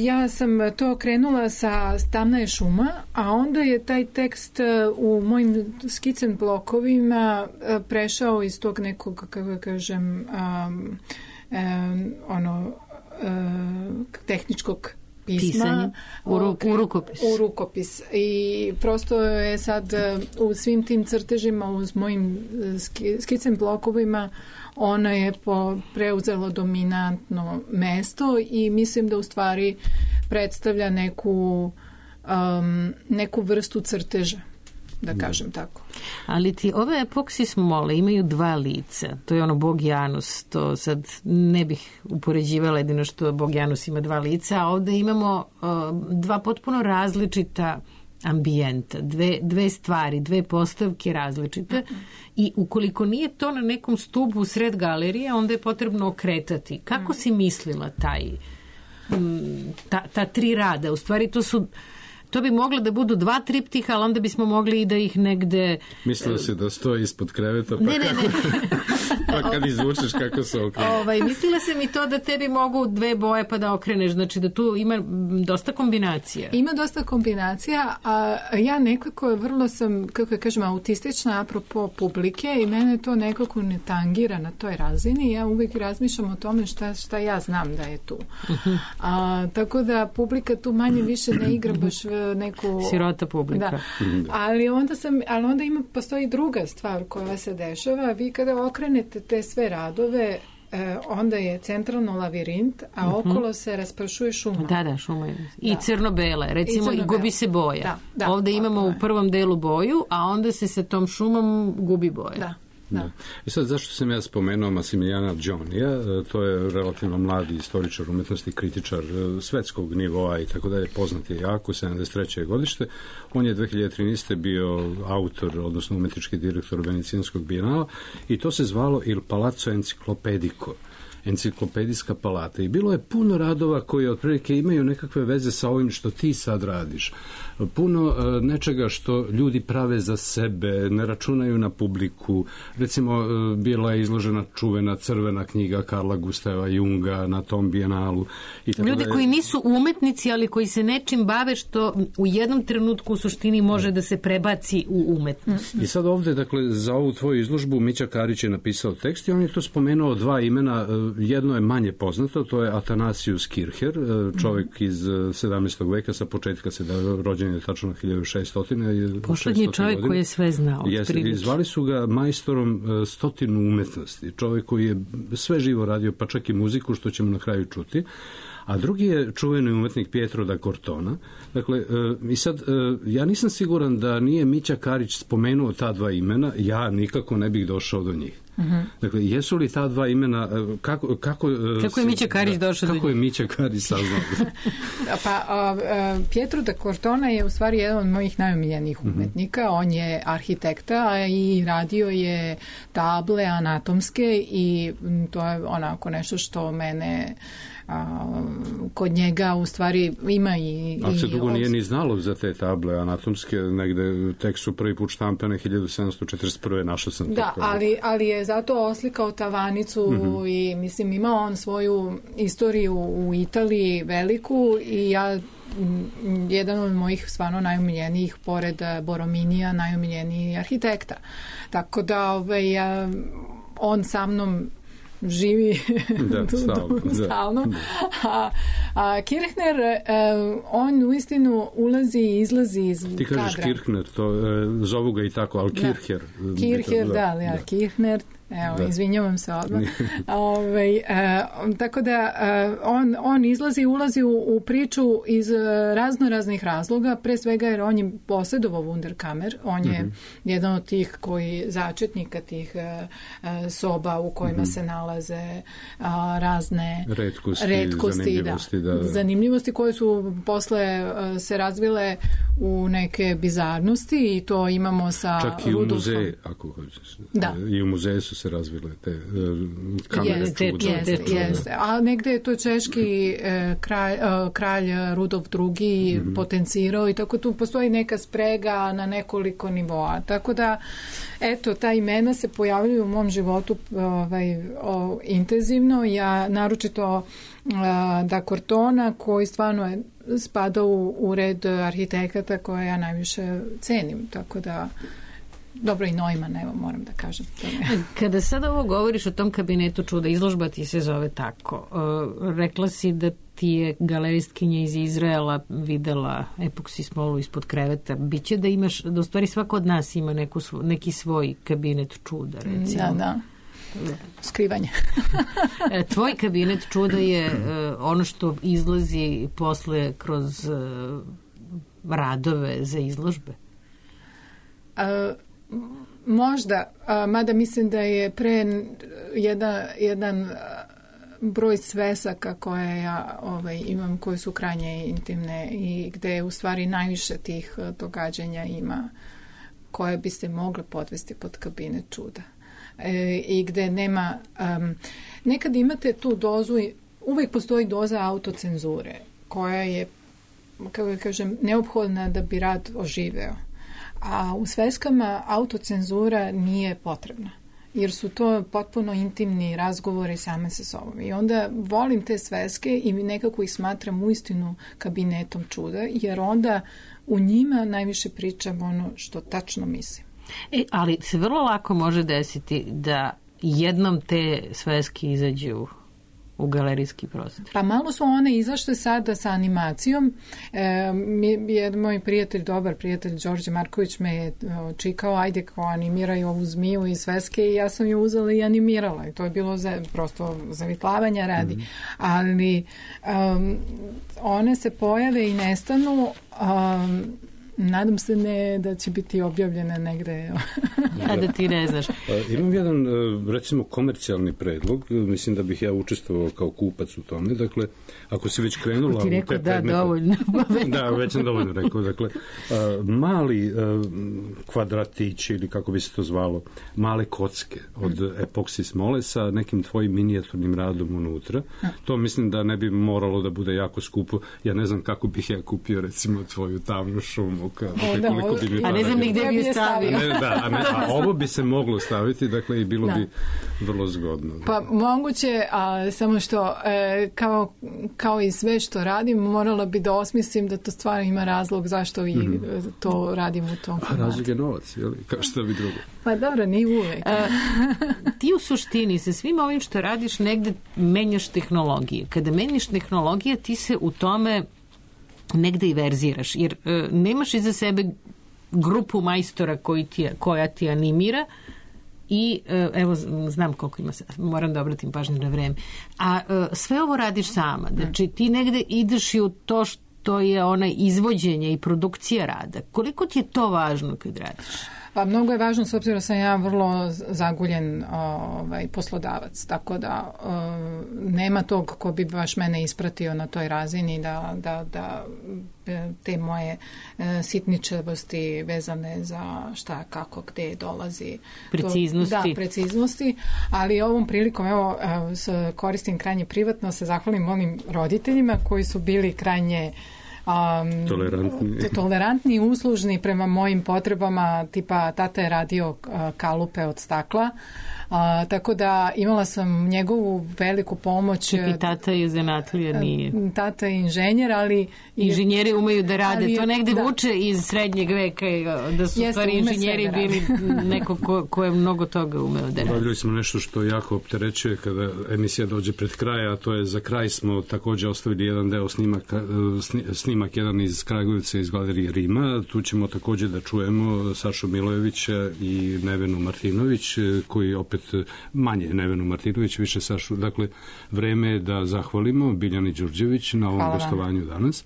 Ja sam to krenula sa Tamna je šuma, a onda je taj tekst u mojim skicen blokovima prešao iz tog nekog, kako kažem, tehničkog pisma u rukopis. U rukopis. I prosto je sad u svim tim crtežima, uz mojim skicen blokovima, ona je preuzelo dominantno mesto i mislim da u stvari predstavlja neku vrstu crteža, da kažem tako. Ali ti ove epoksi smole imaju 2 lica. To je Bog Janus. To sad ne bih upoređivala, jedino što Bog Janus ima 2 lica, a ovde imamo 2 potpuno različita ambijenta, dve stvari, 2 postavke različite i ukoliko nije to na nekom stubu sred galerije, onda je potrebno okretati. Kako si mislila ta 3 rada? U stvari to bi moglo da budu 2 triptiha, ali onda bismo mogli i da ih negde... Mislila si da stoji ispod kreveta, ne. Pa kad izvučeš kako se okrene. Mislila sam i to da tebi mogu 2 boje pa da okreneš, znači da tu ima dosta kombinacija. Ima dosta kombinacija, a ja nekako vrlo sam, kako kažem, autistična apropo publike i mene to nekako ne tangira na toj razini. Ja uvijek razmišljam o tome šta ja znam da je tu. Tako da publika tu manje više ne igra baš neku... Sirota publika. Da. Ali onda postoji druga stvar koja se dešava. Vi kada okrenete te sve radove, onda je centralno lavirint, a okolo se raspršuje šuma. Da, šuma je. I crno-bela, recimo, i gubi se boja. Da, ovde imamo u prvom delu boju, a onda se sa tom šumom gubi boja. Da. I sad zašto sam ja spomenuo Massimilijana Gionija, to je relativno mladi istoričar umetnosti, kritičar svetskog nivoa i tako dalje, poznat je jako, 73. godište. On je 2013. bio autor, odnosno umetnički direktor Venecijanskog bijenala i to se zvalo Il Palazzo Enciclopedico, enciklopedijska palata. I bilo je puno radova koji otprilike imaju nekakve veze sa ovim što ti sad radiš. Puno nečega što ljudi prave za sebe, ne računaju na publiku. Recimo, bila je izložena čuvena crvena knjiga Karla Gustava Junga na tom bijenalu. Ljudi koji nisu umetnici, ali koji se nečim bave što u jednom trenutku u suštini može da se prebaci u umetnost. I sad ovde, dakle, za ovu tvoju izložbu Mića Karić je napisao tekst i on je to spomenuo 2 imena. Jedno je manje poznato, to je Athanasius Kircher, čovjek iz 17. veka, sa početka rođen je tačno 1600. Poslednji čovjek koji je sve znao. Zvali su ga majstorom 100 umetnosti. Čovjek koji je sve živo radio, pa čak i muziku, što ćemo na kraju čuti. A drugi je čuveni umetnik Pietro da Cortona. Dakle, i sad, ja nisam siguran da nije Mića Karić spomenuo ta 2 imena, ja nikako ne bih došao do njih. Dakle, jesu li ta dva imena, kako je Mića Karić došao? Kako je Mića Karić saznao? Pietro da Cortona je u stvari jedan od mojih najomiljenijih umetnika. On je arhitekta i radio je table anatomske i to je onako nešto što mene kod njega u stvari ima i... Ali se dugo nije ni znalo za te table anatomske, negde tek su prvi put štampane 1741. našao sam to. Da, ali je zato oslikao tavanicu i mislim ima on svoju istoriju u Italiji veliku i ja jedan od mojih stvarno najomiljenijih pored Borominija, najomiljeniji arhitekta. Tako da on sa mnom živi stalno. Kirchner, on uistinu ulazi i izlazi iz kadra. Ti kažeš Kirchner, zovu ga i tako, ali Kircher. Kircher, da, Kirchner. Evo, izvinjavam se odmah. Tako da on izlazi i ulazi u priču iz raznih razloga, pre svega jer on je posjedovao Wunderkammer, on je jedan od tih začetnika tih soba u kojima se nalaze razne retkosti, zanimljivosti koje su posle se razvile u neke bizarnosti i to imamo sa čak i u muzeji, ako hoćeš. Da. I u muzeju su se razvile te kamere čuda. Jeste. A negde je to češki kralj Rudolf II potencirao i tako tu postoji neka sprega na nekoliko nivoa. Tako da, eto, ta imena se pojavljaju u mom životu intenzivno. Ja naročito da Cortona, koji stvarno je spadao u red arhitekata koje ja najviše cenim. Tako da dobro i Neumann, evo moram da kažem. Kada sada ovo govoriš o tom kabinetu čuda, izložba ti se zove tako. Rekla si da ti je galeristkinja iz Izraela videla epoksi smolu ispod kreveta. Biće da imaš, da u stvari svako od nas ima neki svoj kabinet čuda, recimo. Da. Skrivanje. Tvoj kabinet čuda je ono što izlazi posle kroz radove za izložbe? Možda, mada mislim da je pre jedan broj svesaka koje ja imam, koje su krajnje intimne i gde u stvari najviše tih događanja ima koje biste mogli podvesti pod kabinet čuda. I gde nema, nekad imate tu dozu, uvijek postoji doza autocenzure koja je, kako da kažem, neophodna da bi rad oživeo. A u sveskama autocenzura nije potrebna, jer su to potpuno intimni razgovori same sa sobom. I onda volim te sveske i nekako ih smatram uistinu kabinetom čuda, jer onda u njima najviše pričam ono što tačno mislim. Ali se vrlo lako može desiti da jednom te sveske izađu u galerijski prostor. Pa malo su one izašle sada sa animacijom. Jedan moj prijatelj, dobar prijatelj Đorđe Marković me je čikao, ajde kao animiraj ovu zmiju iz sveske i ja sam ju uzela i animirala. I to je bilo prosto zavitlavanja radi. Ali one se pojave i nestanu. Nadam se da će biti objavljene negde. A da ti ne znaš. Imam jedan, recimo, komercijalni predlog. Mislim da bih ja učestvovao kao kupac u tome. Dakle, ako si već krenula... Ti rekao da, dovoljno. Da, već sam dovoljno rekao. Dakle, mali kvadratići, ili kako bi se to zvalo, male kocke od epoksi smole sa nekim tvojim minijaturnim radom unutra. To mislim da ne bi moralo da bude jako skupo. Ja ne znam kako bih ja kupio, recimo, tvoju tamnu šumu. A ne znam ni gde bi je stavio. A ovo bi se moglo staviti, dakle, i bilo bi vrlo zgodno. Pa moguće, a samo što kao i sve što radim, morala bi da osmislim da to stvarno ima razlog zašto i to radim u tom formatu. A razlog je novac, jel? Kao što bi drugo. Pa dobro, nije uvek. Ti u suštini sa svim ovim što radiš negde menjaš tehnologiju. Kada menjaš tehnologiju, ti se u tome negde i verziraš, jer nemaš iza sebe grupu majstora koja ti animira i evo, znam koliko ima, moram da obratim pažnju na vreme, a sve ovo radiš sama, znači ti negde ideš i u to što je onaj izvođenje i produkcija rada. Koliko ti je to važno kad radiš? Pa mnogo je važno, s obzirom sam ja vrlo zaguljen poslodavac, tako da nema tog ko bi baš mene ispratio na toj razini da te moje sitničavosti vezane za šta, kako, gde dolazi. Preciznosti. Preciznosti, ali ovom prilikom, evo, koristim krajnje privatno, se zahvalim mojim roditeljima koji su bili krajnje tolerantni i uslužni prema mojim potrebama, tipa tata je radio kalupe od stakla, tako da imala sam njegovu veliku pomoć. I tata je zanatlija, nije. Tata je inženjer, ali inženjeri umeju da rade, to negde vuče iz srednjeg veka, da su stvari inženjeri bili neko ko je mnogo toga umeo da rade. Bavljali smo nešto što jako opterećuje kada emisija dođe pred kraj, a to je za kraj smo takođe ostavili jedan deo snimak jedan iz Kragujevca iz galerije Rima. Tu ćemo takođe da čujemo Sašu Milojevića i Nevenu Martinović, koji opet manje Nevenu Martinović, više Sašu. Dakle, vreme je da zahvalimo Biljani Đurđević na ovom gostovanju danas.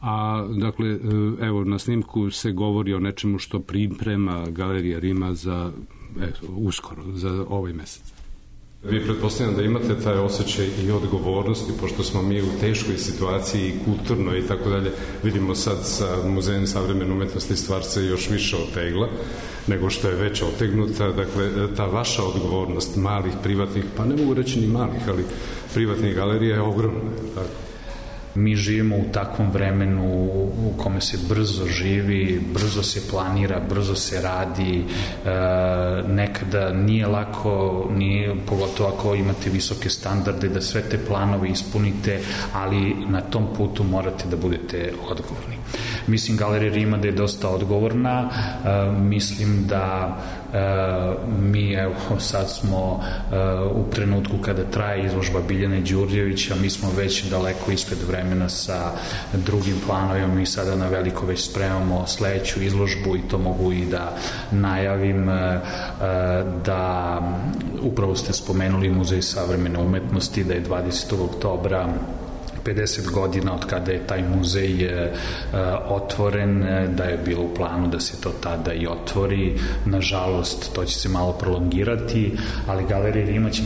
A, dakle, evo, na snimku se govori o nečemu što priprema galerija Rima za uskoro, za ovaj mesec. Vi pretpostavljam da imate taj osjećaj i odgovornosti, pošto smo mi u teškoj situaciji kulturno i tako dalje. Vidimo sad sa Muzejem savremene umetnosti stvar se još više otegla nego što je već otegnuta. Dakle, ta vaša odgovornost malih, privatnih, pa ne mogu reći ni malih, ali privatnih galerija je ogromna. Tako. Mi živimo u takvom vremenu u kome se brzo živi, brzo se planira, brzo se radi, nekada nije lako, pogotovo ako imate visoke standarde, da sve te planove ispunite, ali na tom putu morate da budete odgovorni. Mislim, Galerija Rima da je dosta odgovorna, mislim da mi, evo, sad smo u trenutku kada traje izložba Biljane Đurđevića, mi smo već daleko ispred vremena sa drugim planovima. Mi sada na veliko već spremamo sledeću izložbu i to mogu i da najavim, da upravo ste spomenuli Muzej savremene umetnosti, da je 20. oktobra 50 godina od kada je taj muzej otvoren, da je bilo u planu da se to tada i otvori. Nažalost, to će se malo prolongirati, ali Galerija Rima će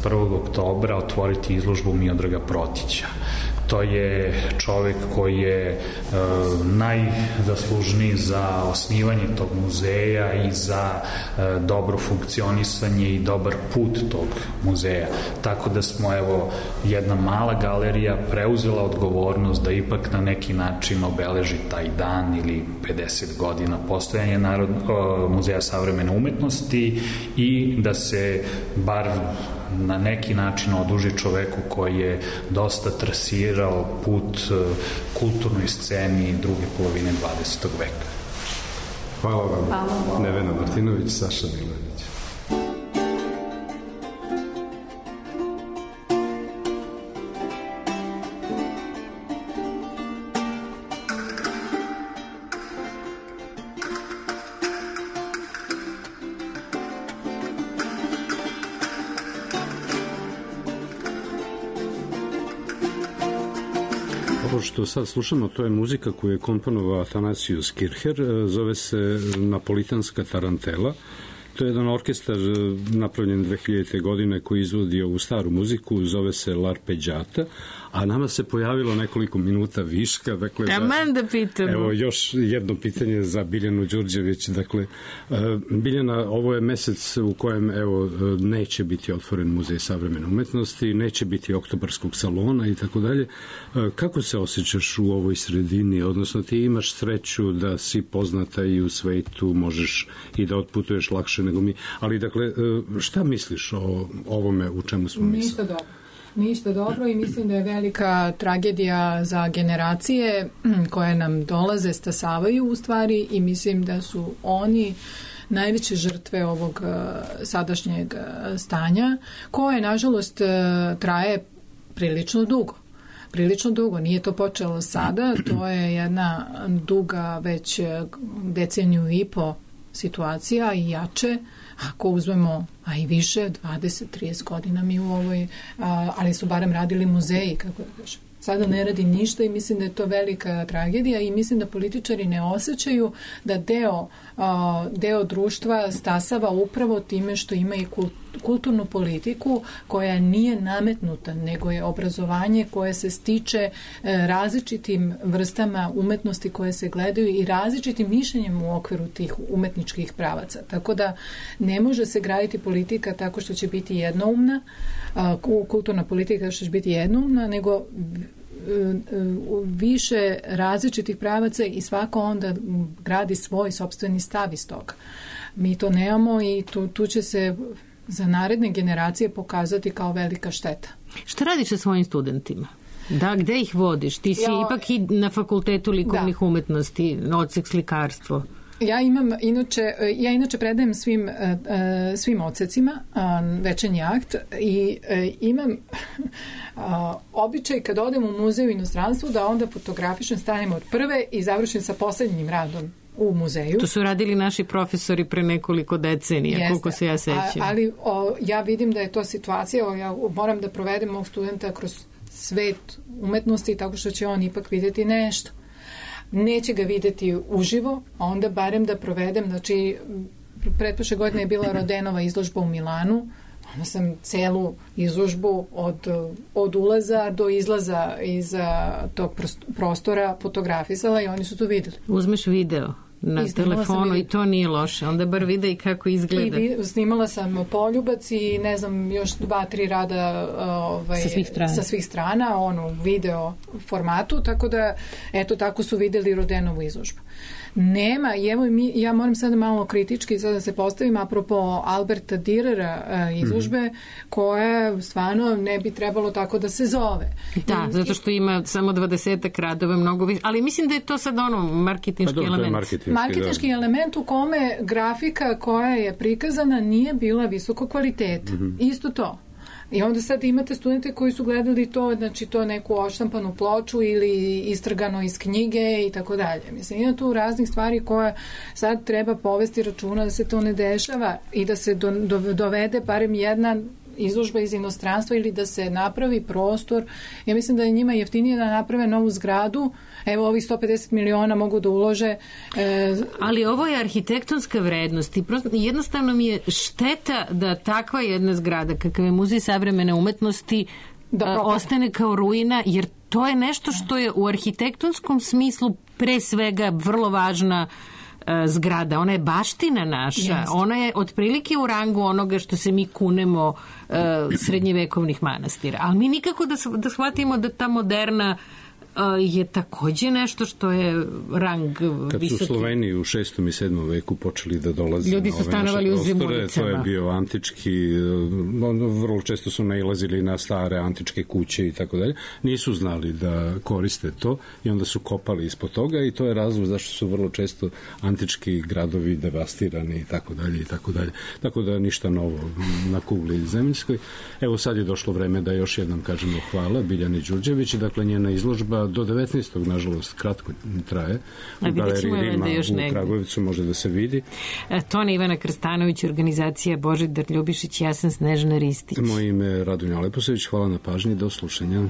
21. oktobra otvoriti izložbu Miodraga Protića. To je čovek koji je najzaslužniji za osnivanje tog muzeja i za dobro funkcionisanje i dobar put tog muzeja. Tako da smo, evo, jedna mala galerija preuzela odgovornost da ipak na neki način obeleži taj dan ili 50 godina postojanja Muzeja savremene umetnosti i da se bar na neki način oduži čoveku koji je dosta trasirao put kulturnoj sceni druge polovine 20. veka. Hvala vam. Nevena Martinović, Saša Milojević. Ovo što sad slušamo, to je muzika koju je komponovao Atanasius Kircher, zove se Napolitanska tarantela. To je jedan orkestar napravljen 2000. godine koji izvodi ovu staru muziku, zove se L'Arpeggiata, a nama se pojavilo nekoliko minuta viška. Dakle, da pitamo. Evo još jedno pitanje za Biljanu Đurđević. Dakle, Biljana, ovo je mesec u kojem neće biti otvoren Muzej savremene umetnosti, neće biti oktobarskog salona i tako dalje. Kako se osjećaš u ovoj sredini? Odnosno, ti imaš sreću da si poznata i u svetu, možeš i da otputuješ lakše nego mi. Ali, dakle, šta misliš o ovome u čemu smo mislili? Ništa dobro i mislim da je velika tragedija za generacije koje nam dolaze, stasavaju u stvari i mislim da su oni najveće žrtve ovog sadašnjeg stanja koje, nažalost, traje prilično dugo. Nije to počelo sada, to je jedna duga već deceniju i po situacija i jače, ako uzmemo, a i više, 20-30 godina mi u ovoj, ali su barem radili muzeji, kako da kažem, sada ne radi ništa i mislim da je to velika tragedija i mislim da političari ne osjećaju da deo društva stasava upravo time što ima i kulturnu politiku koja nije nametnuta, nego je obrazovanje koje se stiče različitim vrstama umetnosti koje se gledaju i različitim mišljenjem u okviru tih umetničkih pravaca. Tako da ne može se graditi politika tako što će biti jednoumna, kulturna politika što će biti jednoumna, nego više različitih pravaca i svako onda gradi svoj sopstveni stav iz toga. Mi to nemamo i tu će se za naredne generacije pokazati kao velika šteta. Šta radiš sa svojim studentima? Da, gde ih vodiš? Ti si ipak i na fakultetu likovnih umetnosti, odsek slikarstvo. Ja inače predajem svim odsecima večernji akt i imam običaj kad odem u muzej u inostranstvu da onda fotografišem stanem od prve i završim sa poslednjim radom u muzeju. To su radili naši profesori pre nekoliko decenija, koliko se ja sećam. Ali ja vidim da je to situacija, ja moram da provedem mog studenta kroz svet umetnosti tako što će on ipak vidjeti nešto. Neće ga videti uživo, a onda barem da provedem, znači pretprošle godine je bila Rodenova izložba u Milanu, onda sam celu izložbu od ulaza do izlaza iz tog prostora fotografisala i oni su to videli. Uzmeš video na telefonu i to nije loše, onda bar vide i kako izgleda. I snimala sam poljubac i ne znam, još 2-3 rada sa svih strana, video formatu, tako da eto tako su videli Rodenovu izložbu. Nema, i evo ja moram sada malo kritički sada da se postavim apropo Alberta Dürera izložbe, koja stvarno ne bi trebalo tako da se zove. Da, zato što ima samo 20 radova, mnogo više, ali mislim da je to sad marketinški element. Marketinški element u kome grafika koja je prikazana nije bila visoko kvaliteta. Isto to. I onda sad imate studente koji su gledali to, znači to neku odštampanu ploču ili istrgano iz knjige i tako dalje. Mislim, ima tu raznih stvari koje sad treba povesti računa da se to ne dešava i da se dovede barem jedna izložba iz inostranstva ili da se napravi prostor. Ja mislim da je njima jeftinije da naprave novu zgradu. Evo, ovih 150 miliona mogu da ulože. Ali ovo je arhitektonska vrednost i jednostavno mi je šteta da takva jedna zgrada kakav je Muzej savremene umetnosti ostane kao ruina, jer to je nešto što je u arhitektonskom smislu pre svega vrlo važna zgrada. Ona je baština naša. Ona je otprilike u rangu onoga što se mi kunemo srednjevekovnih manastira. Ali mi nikako da shvatimo da ta moderna je takođe nešto što je rang visoki. Kad su Sloveni u 6. i 7. veku počeli da dolaze ljudi su stanovali u zimulicama. To je bio antički, vrlo često su nailazili na stare antičke kuće i tako dalje. Nisu znali da koriste to i onda su kopali ispod toga i to je razlog zašto su vrlo često antički gradovi devastirani i tako dalje i tako dalje. Tako da ništa novo na kugli zemaljskoj. Evo sad je došlo vreme da još jednom kažemo hvala Biljani Đurđević. Dakle, njena izložba do 19. nažalost kratko traje. U galeriji Rima u Kragujevcu može da se vidi. Tona Ivana Krstanović, organizacija Božidar Ljubišić, ja sam Snežana Ristić. Moje ime je Radonja Leposević, hvala na pažnji, do slušanja.